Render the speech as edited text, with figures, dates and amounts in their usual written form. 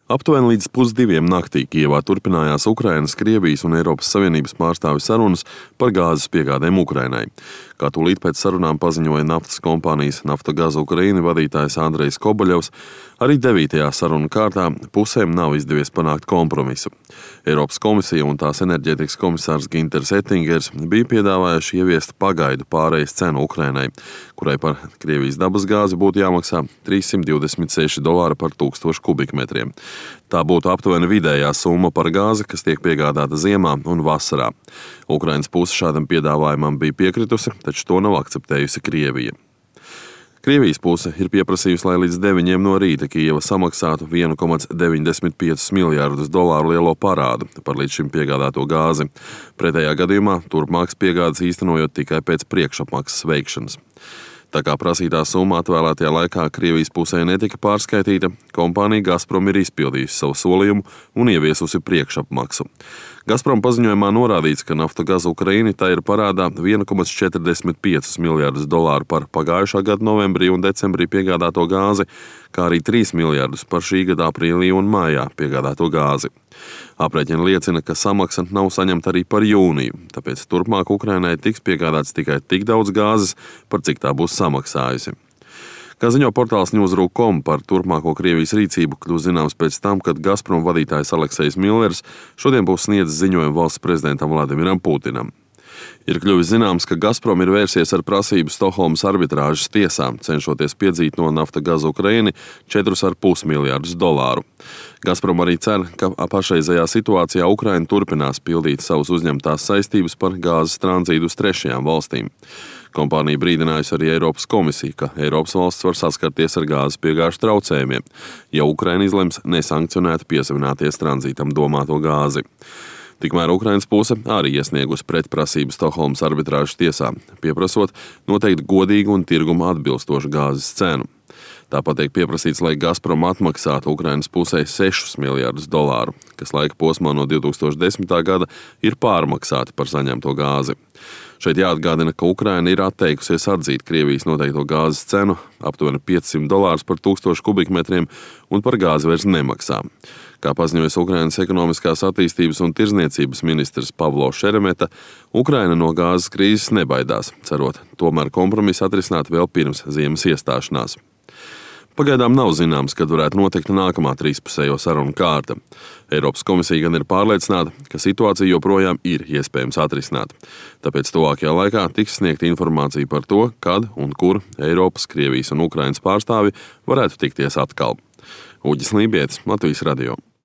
Aptuveni līdz 1:30 naktī Kijevā turpinājās Ukrainas, Krievijas un Eiropas Savienības pārstāvju sarunas par gāzes piegādēm Ukrainai. Kā tūlīt pēc sarunām paziņoja naftas kompānijas Naftogaz Ukraina vadītājs Andrejs Kobaļovs, arī 9. sarunu kārtā pusēm nav izdevies panākt kompromisu. Eiropas komisija un tās enerģētikas komisārs Ginters Ettingers bija piedāvājuši ieviest pagaidu pārejas cenu Ukrainai, kurai par Krievijas dabasgāzi būtu jāmaksā $326 par 1000 kubikmetriem. Tā būtu aptuveni vidējā summa par gāzi, kas tiek piegādāta ziemā un vasarā. Ukrainas puse šādam piedāvājumam bija piekritusi, taču to nav akceptējusi Krievija. Krievijas puse ir pieprasījusi, lai līdz 9 no rīta Kijeva samaksātu $1,95 miljardus lielo parādu par līdz šim piegādāto gāzi. Pretējā gadījumā turpmākas piegādes īstenojot tikai pēc priekšapmaksas veikšanas. Tā kā prasītā summa atvēlētajā laikā Krievijas pusē netika pārskaitīta, kompānija Gazprom ir izpildījusi savu solījumu un ieviesusi priekšapmaksu. Gazprom paziņojumā norādīts, ka Naftogaz Ukraina tā ir parādā $1,45 miljardus par pagājušā gada novembrī un decembrī piegādāto gāzi, kā arī $3 miljardus par šī gada aprīlī un mājā piegādāto gāzi. Aprēķini liecina, ka samaksa nav saņemta arī par jūniju, tāpēc turpmāk Ukrainai tiks piegādāts tikai tik daudz gāzes, par cik tā būs samaksājusi. Kā ziņo portāls News.com, par turpmāko Krievijas rīcību kļūs zināms pēc tam, kad Gazprom vadītājs Aleksejs Millers šodien būs sniedzis ziņojumu valsts prezidentam Vladimiram Putinam. Ir kļuvis zināms, ka Gazprom ir vērsies ar prasību Stokholmas arbitrāžas tiesā, cenšoties piedzīt no Naftogaz Ukraina $4,5 miljardus. Gazprom arī cer, ka pašreizējā situācijā Ukraina turpinās pildīt savus uzņemtās saistības par gāzes tranzītu uz trešajām valstīm. Kompānija brīdinājusi arī Eiropas komisiju, ka Eiropas valsts var saskarties ar gāzes piegāžu traucējumiem, ja Ukraina izlems nesankcionēt piesavināties tranzītam domāto gāzi. Tikmēr Ukrainas puse arī iesniegusi pretprasību Stokholmas arbitrāžas tiesā, pieprasot noteikt godīgu un tirgumu atbilstošu gāzes cenu. Tāpat tiek pieprasīts, lai Gazprom atmaksātu Ukrainas pusē $6 miljardus, kas laika posmā no 2010. gada ir pārmaksāti par saņemto gāzi. Šeit jāatgādina, ka Ukraina ir atteikusies atzīt Krievijas noteikto gāzes cenu, aptuveni $500 par 1000 kubikmetriem, un par gāzi vairs nemaksā. Kā paziņojas Ukrainas ekonomiskās attīstības un tirzniecības ministrs Pavlo Šeremeta, Ukraina no gāzes krīzes nebaidās, cerot tomēr kompromisu atrisināt vēl pirms ziemas iestāšanās. Pagaidām nav zināms, kad varētu notikt nākamā trīspusējo sarunu kārta. Eiropas komisija gan ir pārliecināta, ka situācija joprojām ir iespējams atrisināt. Tāpēc tuvākajā laikā tiks sniegta informācija par to, kad un kur Eiropas, Krievijas un Ukrainas pārstāvi varētu tikties atkal. Uģis Lībietis, Latvijas radio.